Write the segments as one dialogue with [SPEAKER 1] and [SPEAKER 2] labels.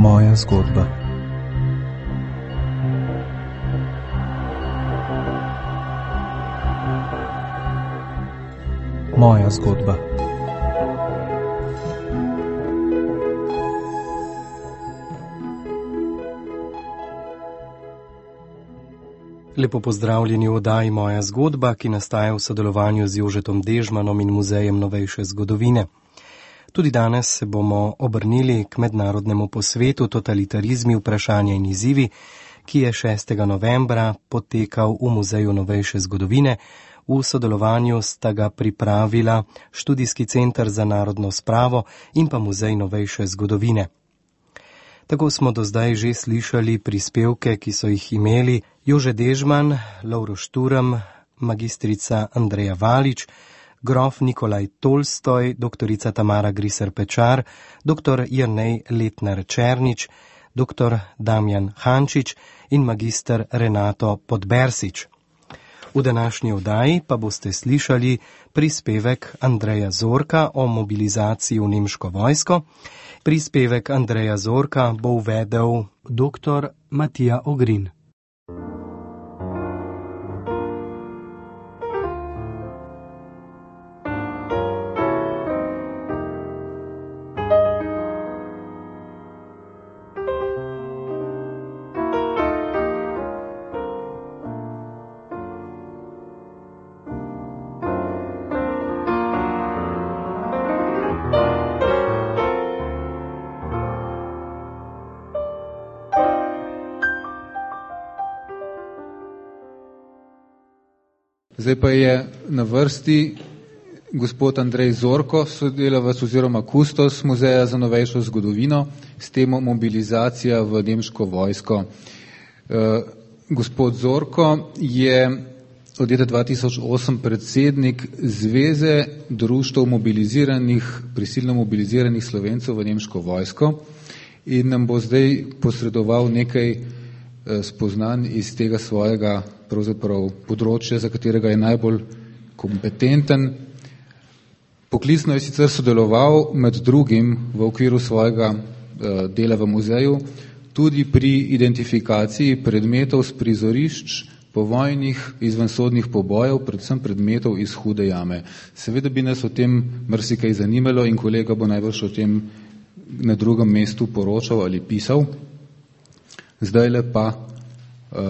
[SPEAKER 1] Moja zgodba. Moja zgodba. Lepo pozdravljeni v oddaji Moja zgodba, ki nastaja v sodelovanju z Jožetom Dežmanom in Muzejem novejše zgodovine. Tudi danes se bomo obrnili k mednarodnemu posvetu Totalitarizmi, vprašanja in izzivi, ki je 6. novembra potekal v Muzeju novejše zgodovine. V sodelovanju sta ga pripravila Študijski center za narodno spravo in pa Muzej novejše zgodovine. Tako smo do zdaj že slišali prispevke, ki so jih imeli Jože Dežman, Lovro Šturm, magistrica Andreja Valič, grof Nikolaj Tolstoj, doktorica Tamara Griser Pečar, doktor Jernej Letnar Černič, doktor Damjan Hančič in magister Renato Podbersič. V današnji oddaji pa boste slišali prispevek Andreja Zorka o mobilizaciji v nemško vojsko. Prispevek Andreja Zorka bo uvedel dr. Matija Ogrin.
[SPEAKER 2] Zdaj pa je na vrsti gospod Andrej Zorko, sodelavec oziroma kustos Muzeja za novejšo zgodovino s temo mobilizacija v nemško vojsko. Gospod Zorko je od leta 2008 predsednik Zveze društev prisilno mobiliziranih Slovencev v nemško vojsko in nam bo zdaj posredoval nekaj spoznanj iz tega svojega pravzaprav področja, za katerega je najbolj kompetenten. Poklicno je sicer sodeloval med drugim v okviru svojega dela v muzeju tudi pri identifikaciji predmetov z prizorišč povojnih izvensodnih pobojev, predvsem predmetov iz Hude jame. Seveda bi nas o tem marsikaj zanimalo in kolega bo najbrž o tem na drugem mestu poročal ali pisal. Zdajle pa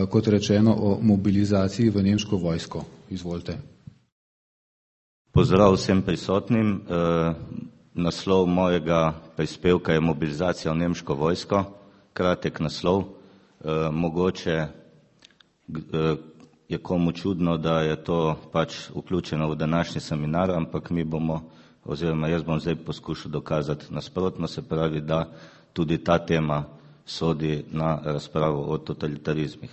[SPEAKER 2] kot rečeno o mobilizaciji v nemško vojsko. Izvolite.
[SPEAKER 3] Pozdrav vsem prisotnim. Naslov mojega prispevka je mobilizacija v nemško vojsko. Kratek naslov. Mogoče je komu čudno, da je to pač vključeno v današnji seminar, ampak mi bomo, oziroma jaz bom zdaj poskušal dokazati nasprotno, se pravi, da tudi ta tema sodi na razpravo o totalitarizmih.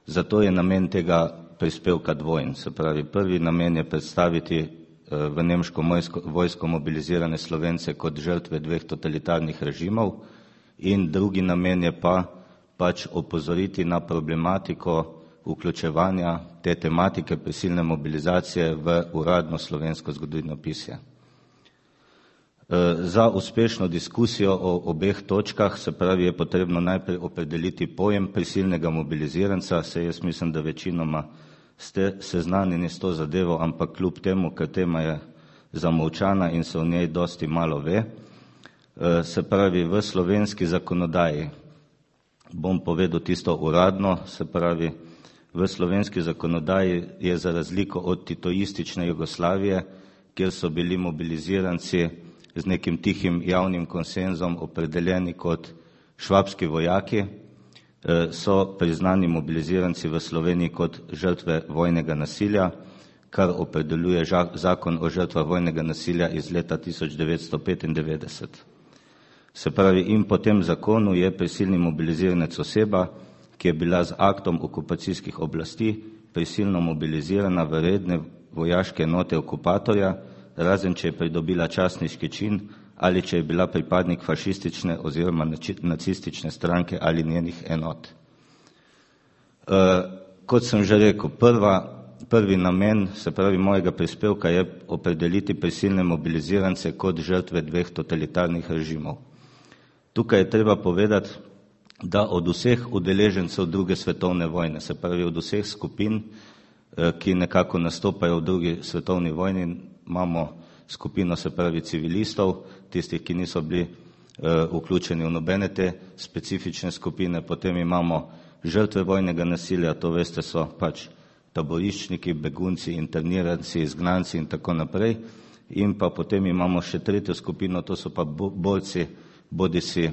[SPEAKER 3] Zato je namen tega prispevka dvojen. Se pravi, prvi namen je predstaviti v nemško vojsko mobilizirane Slovence kot žrtve dveh totalitarnih režimov in drugi namen je pač opozoriti na problematiko vključevanja te tematike prisilne mobilizacije v uradno slovensko zgodovinopisje. Za uspešno diskusijo o obeh točkah, se pravi, je potrebno najprej opredeliti pojem prisilnega mobiliziranca, saj jaz mislim, da večinoma ste seznanjeni s to zadevo, ampak kljub temu, ker tema je zamolčana in se o njej dosti malo ve. Se pravi, v slovenski zakonodaji, bom povedal tisto uradno, se pravi, v slovenski zakonodaji je za razliko od titoistične Jugoslavije, kjer so bili mobiliziranci z nekim tihim javnim konsenzom opredeljeni kot švabski vojaki, so priznani mobiliziranci v Sloveniji kot žrtve vojnega nasilja, kar opredeljuje zakon o žrtvah vojnega nasilja iz leta 1995. Se pravi, in po tem zakonu je prisilni mobiliziranec oseba, ki je bila z aktom okupacijskih oblasti prisilno mobilizirana v redne vojaške enote okupatorja, razen če je pridobila častniški čin ali če je bila pripadnik fašistične oziroma nacistične stranke ali njenih enot. Kot sem že rekel, prvi namen, se pravi, mojega prispevka je opredeliti prisilne mobilizirance kot žrtve dveh totalitarnih režimov. Tukaj je treba povedati, da od vseh udeležencev druge svetovne vojne, se pravi od vseh skupin, ki nekako nastopajo v drugi svetovni vojni, imamo skupino, se pravi civilistov, tistih, ki niso bili vključeni v nobene te specifične skupine, potem imamo žrtve vojnega nasilja, to veste, so pač taboriščniki, begunci, interniranci, izgnanci in tako naprej, in pa potem imamo še tretjo skupino, to so pa borci, bodisi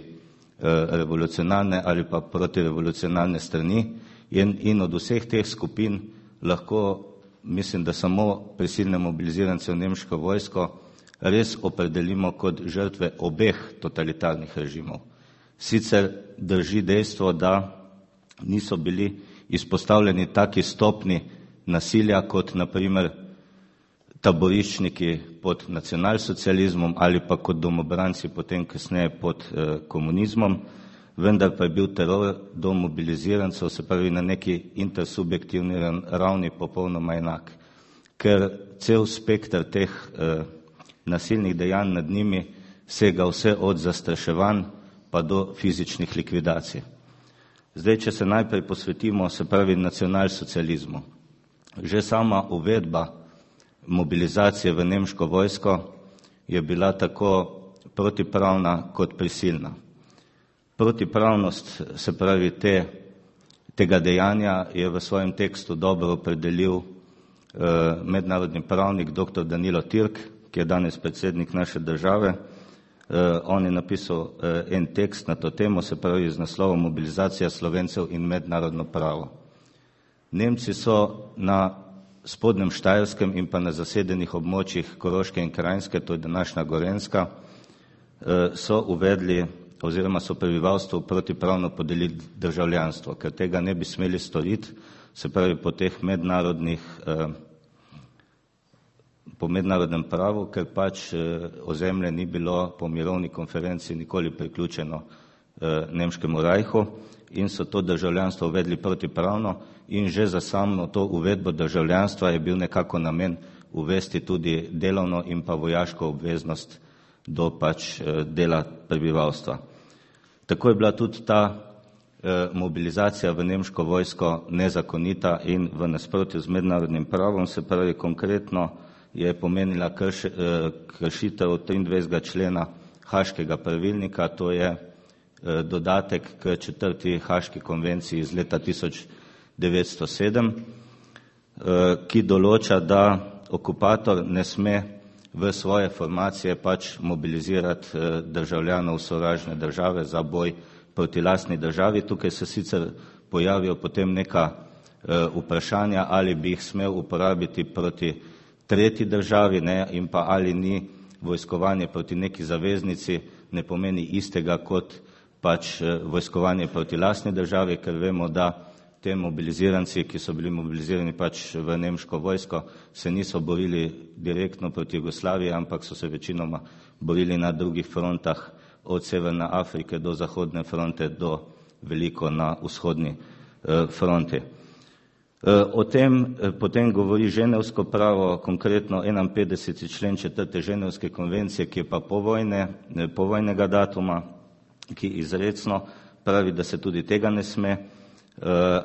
[SPEAKER 3] revolucionarne ali pa protirevolucionarne strani, in od vseh teh skupin lahko, mislim, da samo prisilne mobilizirance v nemško vojsko res opredelimo kot žrtve obeh totalitarnih režimov. Sicer drži dejstvo, da niso bili izpostavljeni taki stopni nasilja kot naprimer taboriščniki pod nacionalsocializmom ali pa kot domobranci potem kasneje pod komunizmom, vendar pa je bil teror do mobilizirancev, se pravi na neki intersubjektivni ravni popolnoma enak, ker cel spektr teh nasilnih dejanj nad njimi sega vse od zastraševanj pa do fizičnih likvidacij. Zdaj, če se najprej posvetimo, se pravi nacionalsocializmu. Že sama uvedba mobilizacije v nemško vojsko je bila tako protipravna kot prisilna. Protipravnost, se pravi tega dejanja, je v svojem tekstu dobro opredelil mednarodni pravnik dr. Danilo Türk, ki je danes predsednik naše države. On je napisal en tekst na to temo, se pravi z naslovom Mobilizacija Slovencev in mednarodno pravo. Nemci so na spodnjem Štajerskem in pa na zasedenih območjih Koroške in Krajinske, to je današnja Gorenjska, so uvedli oziroma so prebivalstvu protipravno podelili državljanstvo, ker tega ne bi smeli storiti, se pravi po teh po mednarodnem pravu, ker pač ozemlje ni bilo po mirovni konferenci nikoli priključeno nemškemu rajhu in so to državljanstvo uvedli protipravno in že za samo to uvedbo državljanstva je bil nekako namen uvesti tudi delovno in pa vojaško obveznost do pač dela prebivalstva. Tako je bila tudi ta mobilizacija v nemško vojsko nezakonita in v nasprotju z mednarodnim pravom, se pravi konkretno je pomenila kršitev 23. člena Haškega pravilnika, to je dodatek k 4. Haški konvenciji iz leta 1907, ki določa, da okupator ne sme v svoje formacije pač mobilizirati državljanov sovražne države za boj proti lastni državi. Tukaj se sicer pojavijo potem neka vprašanja, ali bi jih smel uporabiti proti tretji državi, ne, in pa ali ni vojskovanje proti neki zaveznici ne pomeni istega kot pač vojskovanje proti lastni državi, ker vemo, da te mobiliziranci, ki so bili mobilizirani pač v nemško vojsko, se niso borili direktno proti Jugoslaviji, ampak so se večinoma borili na drugih frontah, od Severne Afrike do Zahodne fronte do veliko na vzhodni fronti. O tem potem govori ženevsko pravo, konkretno 51. člen 4. ženevske konvencije, ki je pa povojnega datuma, ki izrecno pravi, da se tudi tega ne sme,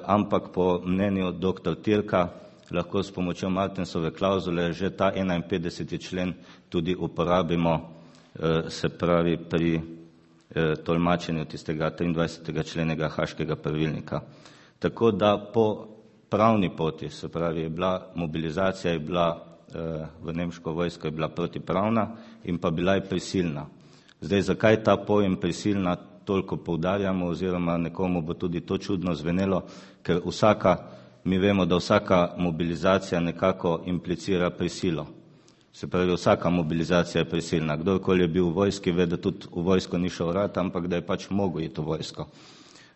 [SPEAKER 3] ampak po mnenju dr. Türka lahko s pomočjo Martensove klauzule že ta 51. člen tudi uporabimo, se pravi pri tolmačenju tistega 23. členega Haškega pravilnika. Tako da po pravni poti, se pravi, je bila mobilizacija v nemško vojsko je bila protipravna in pa bila je prisilna. Zdaj, zakaj ta pojem prisilna toliko poudarjamo, oziroma nekomu bo tudi to čudno zvenelo, ker mi vemo, da vsaka mobilizacija nekako implicira prisilo. Se pravi, vsaka mobilizacija je prisilna. Kdorkoli je bil v vojski, ve, da tudi v vojsko ni šel rad, ampak da je pač mogel iti v vojsko.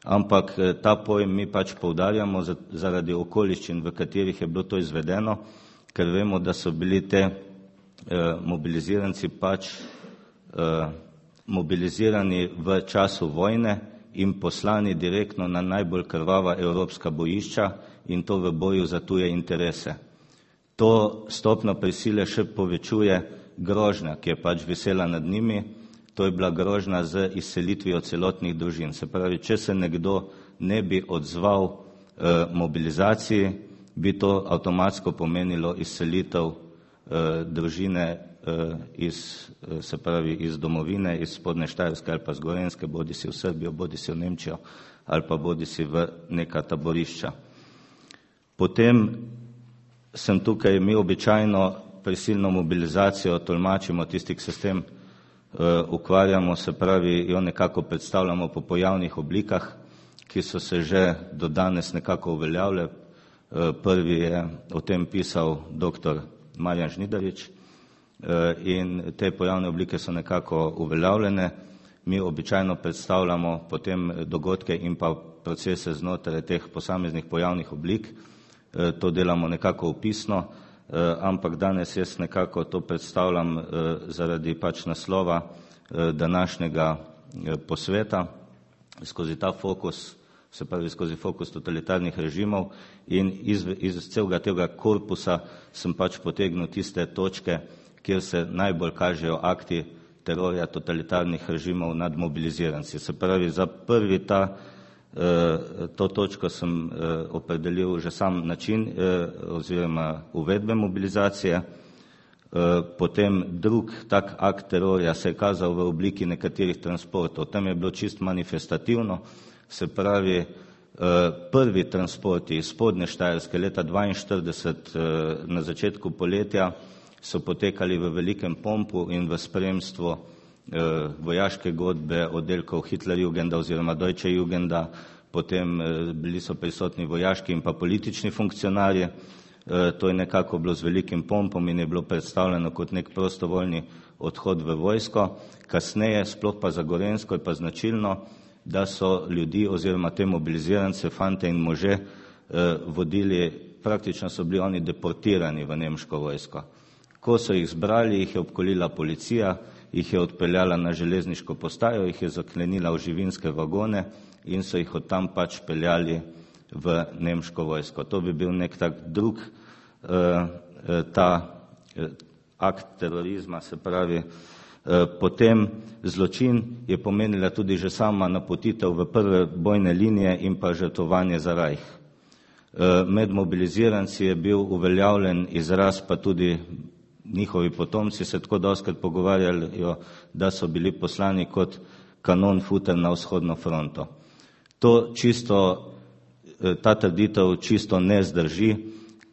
[SPEAKER 3] Ampak ta pojem mi pač poudarjamo zaradi okoliščin, v katerih je bilo to izvedeno, ker vemo, da so bili te mobiliziranci pač mobilizirani v času vojne in poslani direktno na najbolj krvava evropska bojišča in to v boju za tuje interese. To stopno prisile še povečuje grožnja, ki je pač visela nad njimi, to je bila grožnja z izselitvijo celotnih družin. Se pravi, če se nekdo ne bi odzval mobilizaciji, bi to avtomatsko pomenilo izselitev družine iz domovine, iz Spodnje Štajerske ali pa z Gorenjske, bodisi v Srbijo, bodisi v Nemčijo ali pa bodisi v neka taborišča. Potem sem tukaj, mi običajno prisilno mobilizacijo tolmačimo, tisti, ki se s tem ukvarjamo, se pravi, jo nekako predstavljamo po pojavnih oblikah, ki so se že do danes nekako uveljavile. Prvi je o tem pisal dr. Marjan Žnidarič in te pojavne oblike so nekako uveljavljene. Mi običajno predstavljamo potem dogodke in pa procese znotraj teh posameznih pojavnih oblik. To delamo nekako opisno, ampak danes jaz nekako to predstavljam zaradi pač naslova današnjega posveta skozi ta fokus, se pravi skozi fokus totalitarnih režimov, in iz celega tega korpusa sem pač potegnil tiste točke, kjer se najbolj kažejo akti terorja totalitarnih režimov nad mobiliziranci. Se pravi, za prvi to točko sem opredelil že sam način oziroma uvedbe mobilizacije. Potem drug tak akt terorja se je kazal v obliki nekaterih transportov. Tam je bilo čist manifestativno, se pravi, prvi transporti iz Spodnje Štajerske leta 1942 na začetku poletja so potekali v velikem pompu in v spremstvu vojaške godbe oddelkov Hitlerjugenda oziroma Deutsche Jugenda, potem bili so prisotni vojaški in pa politični funkcionarji. To je nekako bilo z velikim pompom in je bilo predstavljeno kot nek prostovoljni odhod v vojsko. Kasneje, sploh pa za Gorenjsko, je pa značilno, da so ljudi oziroma te mobilizirance, fante in može vodili, praktično so bili oni deportirani v nemško vojsko. Ko so jih zbrali, jih je obkolila policija, jih je odpeljala na železniško postajo, jih je zaklenila v živinske vagone in so jih od tam pač peljali v nemško vojsko. To bi bil nek tak drug akt terorizma, se pravi. Potem zločin je pomenila tudi že sama napotitev v prve bojne linije in pa žrtvovanje za Rajh. Med mobiliziranci je bil uveljavljen izraz, pa tudi njihovi potomci se tako dostikrat pogovarjajo, da so bili poslani kot kanon futer na vzhodno fronto. Ta trditev čisto ne zdrži,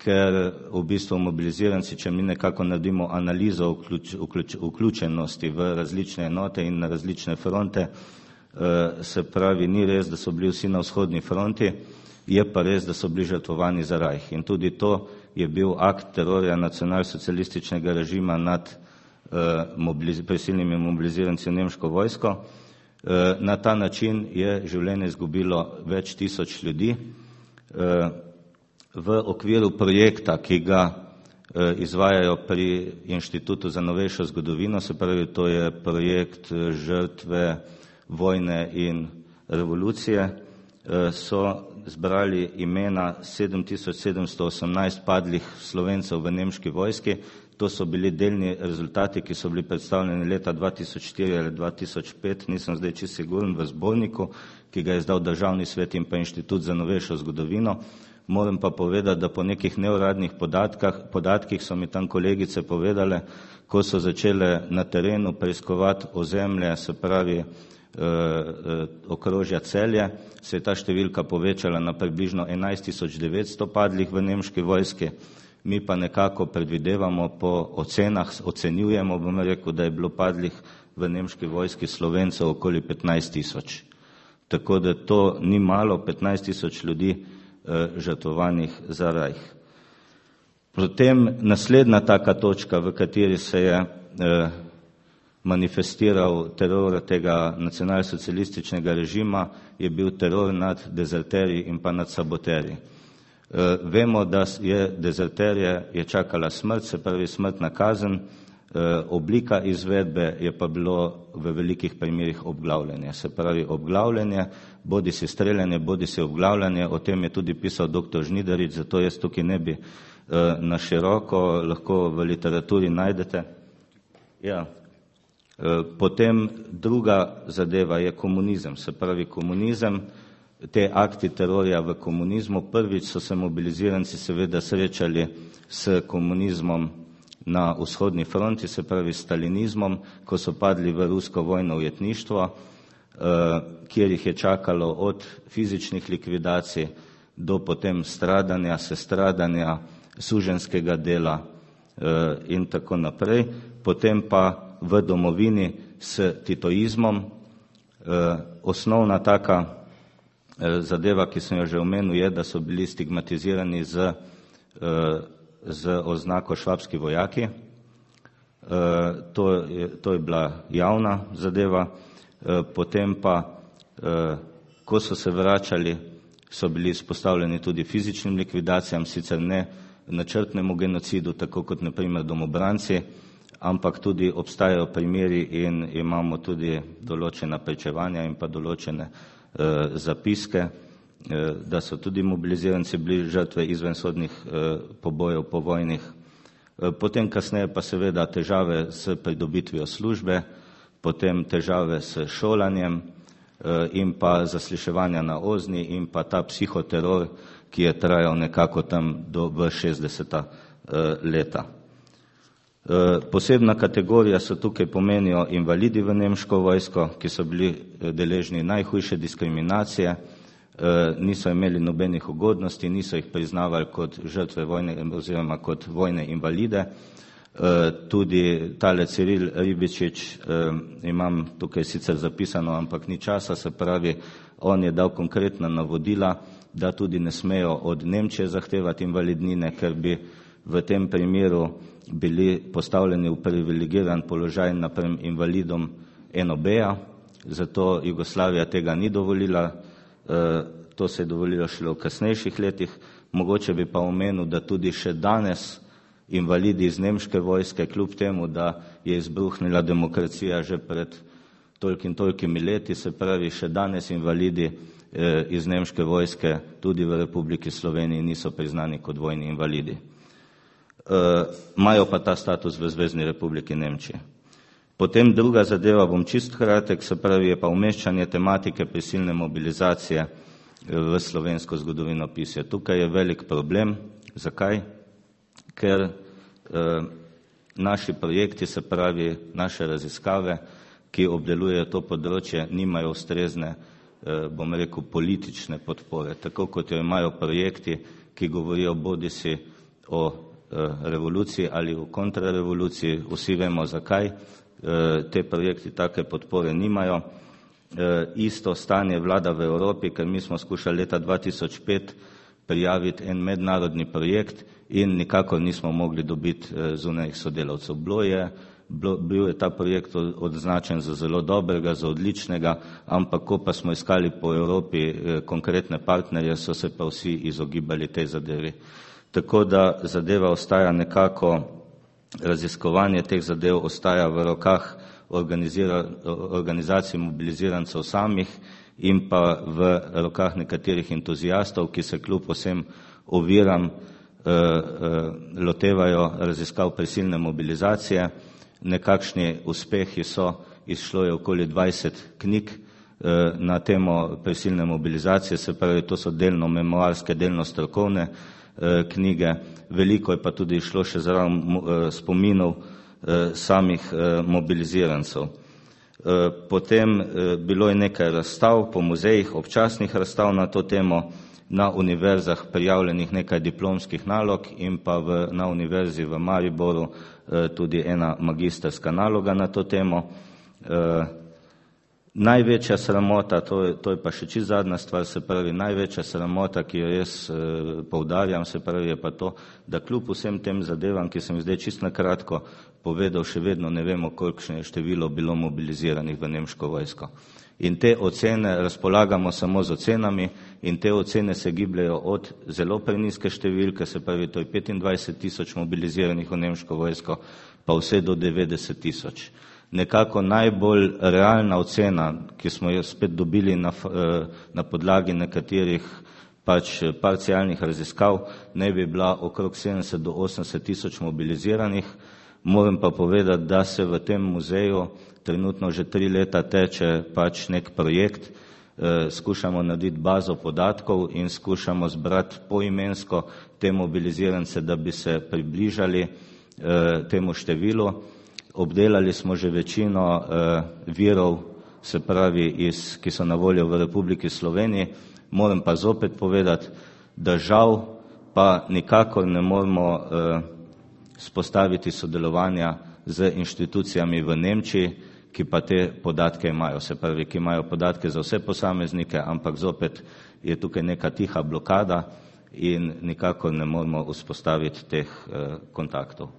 [SPEAKER 3] ker v bistvu mobiliziranci, če mi nekako naredimo analizo vključenosti v različne enote in na različne fronte, se pravi, ni res, da so bili vsi na vzhodni fronti, je pa res, da so bili žrtvovani za Rajh. In tudi to je bil akt terorja nacionalsocialističnega režima nad prisilnimi mobiliziranci v nemško vojsko. Na ta način je življenje izgubilo več tisoč ljudi. V okviru projekta, ki ga izvajajo pri Inštitutu za novejšo zgodovino, se pravi, to je projekt žrtve vojne in revolucije, so zbrali imena 7718 padlih Slovencev v nemški vojski. To so bili delni rezultati, ki so bili predstavljeni leta 2004 ali 2005, nisem zdaj čisto siguren, v zborniku, ki ga je izdal Državni svet in pa Inštitut za novejšo zgodovino. Moram pa povedati, da po nekih neuradnih podatkih so mi tam kolegice povedale, ko so začele na terenu preiskovati ozemlje, se pravi okrožja Celje, se je ta številka povečala na približno 11.900 padlih v nemški vojski. Mi pa nekako predvidevamo po ocenah, ocenjujemo, bom rekel, da je bilo padlih v nemški vojski Slovencev okoli 15.000. Tako da to ni malo, 15.000 ljudi žrtvovanih za Rajh. Potem naslednja taka točka, v kateri se je manifestiral teror tega nacionalsocialističnega režima, je bil teror nad dezerterji in pa nad saboterji. Vemo, da je dezerterje je čakala smrt, se pravi smrtna kazen, oblika izvedbe je pa bilo v velikih primerih obglavljanje. Se pravi obglavljanje, bodi si streljanje, bodi si obglavljanje, o tem je tudi pisal dr. Žnidarič, zato jaz tukaj ne bi na široko, lahko v literaturi najdete. Ja. Potem druga zadeva je komunizem, se pravi komunizem, te akti terorja v komunizmu. Prvič so se mobiliziranci seveda srečali s komunizmom na vzhodni fronti, se pravi stalinizmom, ko so padli v rusko vojno ujetništvo, kjer jih je čakalo od fizičnih likvidacij do potem stradanja, sestradanja, suženjskega dela in tako naprej. Potem pa v domovini s titoizmom. Osnovna taka zadeva, ki sem jo že omenil, je, da so bili stigmatizirani z oznako švabski vojaki. To je bila javna zadeva. Potem pa, ko so se vračali, so bili izpostavljeni tudi fizičnim likvidacijam, sicer ne načrtnemu genocidu, tako kot na primer domobranci, ampak tudi obstajajo primeri in imamo tudi določena pričevanja in pa določene zapiske, da so tudi mobiliziranci bili žrtve izvensodnih pobojev povojnih. Potem kasneje pa seveda težave s pridobitvijo službe, potem težave s šolanjem in pa zasliševanja na OZNI in pa ta psihoteror, ki je trajal nekako tam v 60. leta. Posebna kategorija so tukaj pomenijo invalidi v nemško vojsko, ki so bili deležni najhujše diskriminacije, niso imeli nobenih ugodnosti, niso jih priznavali kot žrtve vojne oziroma kot vojne invalide. Tudi tale Ciril Ribičič, imam tukaj sicer zapisano, ampak ni časa, se pravi, on je dal konkretna navodila, da tudi ne smejo od Nemčije zahtevati invalidnine, ker bi v tem primeru bili postavljeni v privilegiran položaj napram invalidom NOB-ja, zato Jugoslavija tega ni dovolila, to se je dovolilo šele v kasnejših letih. Mogoče bi pa omenil, da tudi še danes invalidi iz nemške vojske, kljub temu, da je izbruhnila demokracija že pred tolkimi leti, se pravi, še danes invalidi iz nemške vojske tudi v Republiki Sloveniji niso priznani kot vojni invalidi. Imajo pa ta status v Zvezni Republiki Nemčije. Potem druga zadeva, bom čist kratek, se pravi, je pa umeščanje tematike prisilne mobilizacije v slovensko zgodovinopisje. Tukaj je velik problem. Zakaj? Ker naši projekti, se pravi naše raziskave, ki obdelujejo to področje, nimajo ustrezne, bom rekel, politične podpore. Tako kot jo imajo projekti, ki govorijo bodisi o revoluciji ali o kontrarevoluciji, vsi vemo zakaj, te projekti take podpore nimajo. Isto stanje vlada v Evropi, ker mi smo skušali leta 2005 prijaviti en mednarodni projekt in nikakor nismo mogli dobiti zunanjih sodelavcev. Bil je ta projekt označen za zelo dobrega, za odličnega, ampak ko pa smo iskali po Evropi konkretne partnerje, so se pa vsi izogibali tej zadevi. Tako da zadeva ostaja nekako, raziskovanje teh zadev ostaja v rokah organizacij mobilizirancev samih in pa v rokah nekaterih entuzijastov, ki se kljub vsem oviram lotevajo raziskav prisilne mobilizacije. Nekakšni uspehi so, izšlo je okoli 20 knjig na temo prisilne mobilizacije, se pravi, to so delno memoarske, delno strokovne knjige, veliko je pa tudi išlo še zraven spominov samih mobilizirancev. Potem bilo je nekaj razstav po muzejih, občasnih razstav na to temo, na univerzah prijavljenih nekaj diplomskih nalog in pa na univerzi v Mariboru tudi ena magistrska naloga na to temo. Največja sramota, to je pa še čisto zadnja stvar, se pravi, največja sramota, ki jo jaz poudarjam, se pravi, je pa to, da kljub vsem tem zadevam, ki sem zdaj čisto na kratko povedal, še vedno ne vemo, kolikšno je število bilo mobiliziranih v nemško vojsko. In te ocene, razpolagamo samo z ocenami in te ocene se gibljajo od zelo preniske številke, se pravi, to je 25.000 mobiliziranih v nemško vojsko, pa vse do 90.000. Nekako najbolj realna ocena, ki smo jo spet dobili na podlagi nekaterih pač parcialnih raziskav, ne bi bila okrog 70 do 80.000 mobiliziranih. Moram pa povedati, da se v tem muzeju trenutno že 3 leta teče pač nek projekt, skušamo narediti bazo podatkov in skušamo zbrati poimensko te mobilizirance, da bi se približali temu številu. Obdelali smo že večino virov, se pravi, ki so na voljo v Republiki Sloveniji. Moram pa zopet povedati, da žal pa nikakor ne moremo spostaviti sodelovanja z inštitucijami v Nemčiji, ki pa te podatke imajo, se pravi, ki imajo podatke za vse posameznike, ampak zopet je tukaj neka tiha blokada in nikakor ne moremo vzpostaviti teh kontaktov.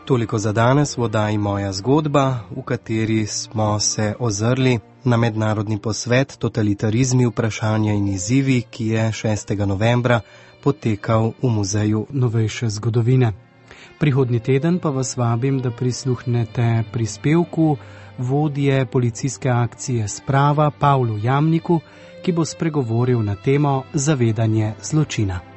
[SPEAKER 1] Toliko za danes v oddaji Moja zgodba, v kateri smo se ozrli na mednarodni posvet Totalitarizmi, vprašanja in izzivi, ki je 6. novembra potekal v Muzeju novejše zgodovine. Prihodnji teden pa vas vabim, da prisluhnete prispevku vodje policijske akcije Sprava Pavlu Jamniku, ki bo spregovoril na temo zavedanje zločina.